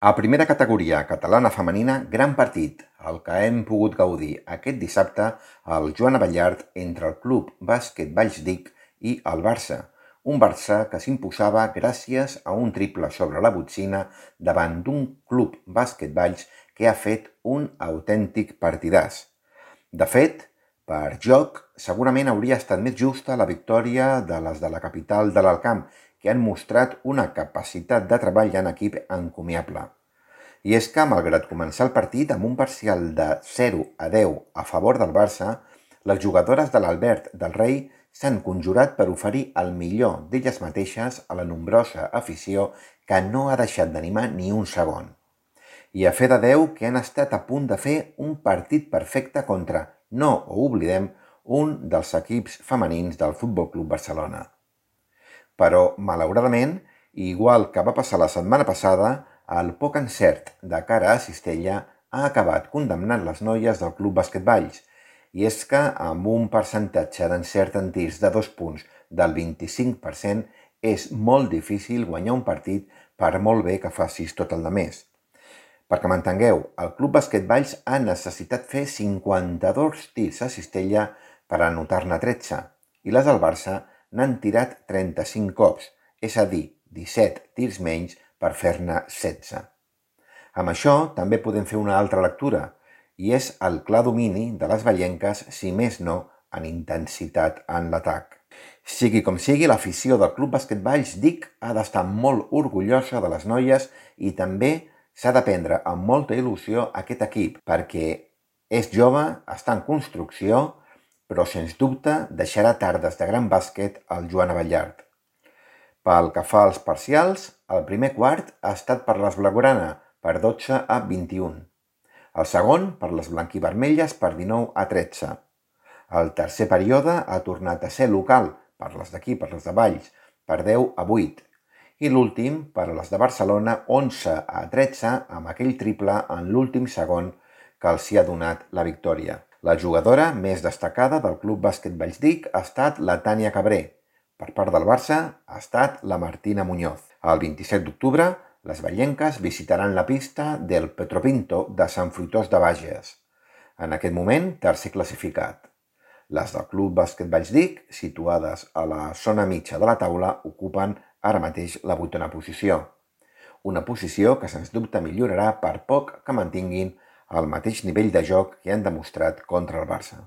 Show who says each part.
Speaker 1: A primera categoria catalana femenina, gran partit, el que hem pogut gaudir aquest dissabte al Joan Abellart entre el Club Bàsquet Vallsdic i el Barça. Un Barça que s'imposava gràcies a un triple sobre la botzina davant d'un Club Bàsquet Valls que ha fet un autèntic partidàs. De fet, per joc, segurament hauria estat més justa la victòria de les de la capital de l'Alcamp, que han mostrat una capacitat de treball en equip encomiable. I és que, malgrat començar el partit amb un parcial de 0-10 a favor del Barça, les jugadores de l'Albert del Rei s'han conjurat per oferir el millor d'elles mateixes a la nombrosa afició que no ha deixat d'animar ni un segon. I a fe de Déu que han estat a punt de fer un partit perfecte contra, no ho oblidem, un dels equips femenins del Futbol Club Barcelona. Però, malauradament, igual que va passar la setmana passada, el poc encert de cara a Cistella ha acabat condemnant les noies del Club Bàsquet Valls, i és que amb un percentatge d'encert en tirs de 2 punts del 25% és molt difícil guanyar un partit per molt bé que facis tot el de més. Perquè m'entengueu, el Club Bàsquet Valls ha necessitat fer 52 tirs a Cistella per anotar-ne 13, i les del Barça n'han tirat 35 cops, és a dir, 17 tirs menys per fer-ne 16. Amb això també podem fer una altra lectura, i és el clar domini de les vallenques, si més no, en intensitat en l'atac. Sigui com sigui, l'afició del Club Bàsquet Vallsdic ha d'estar molt orgullosa de les noies i també s'ha de prendre amb molta il·lusió aquest equip, perquè és jove, està en construcció, però sens dubte deixarà tardes de gran bàsquet al Joan Abellart. Pel que fa als parcials, el primer quart ha estat per les blaugrana, per 12-21. El segon, per les blanquivermelles, per 19-13. El tercer període ha tornat a ser local, per les d'aquí, per les de Valls, per 10-8. I l'últim, per a les de Barcelona, 11-13, amb aquell triple en l'últim segon que els hi ha donat la victòria. La jugadora més destacada del Club Bàsquet Vallsdic ha estat la Tània Cabré. Per part del Barça ha estat la Martina Muñoz. El 27 d'octubre, les vallenques visitaran la pista del Petropinto de Sant Fruitós de Bages. En aquest moment, tercer classificat. Les del Club Bàsquet Vallsdic, situades a la zona mitja de la taula, ocupen ara mateix la 8a posició. Una posició que sens dubte millorarà per poc que mantinguin el mateix nivell de joc que han demostrat contra el Barça.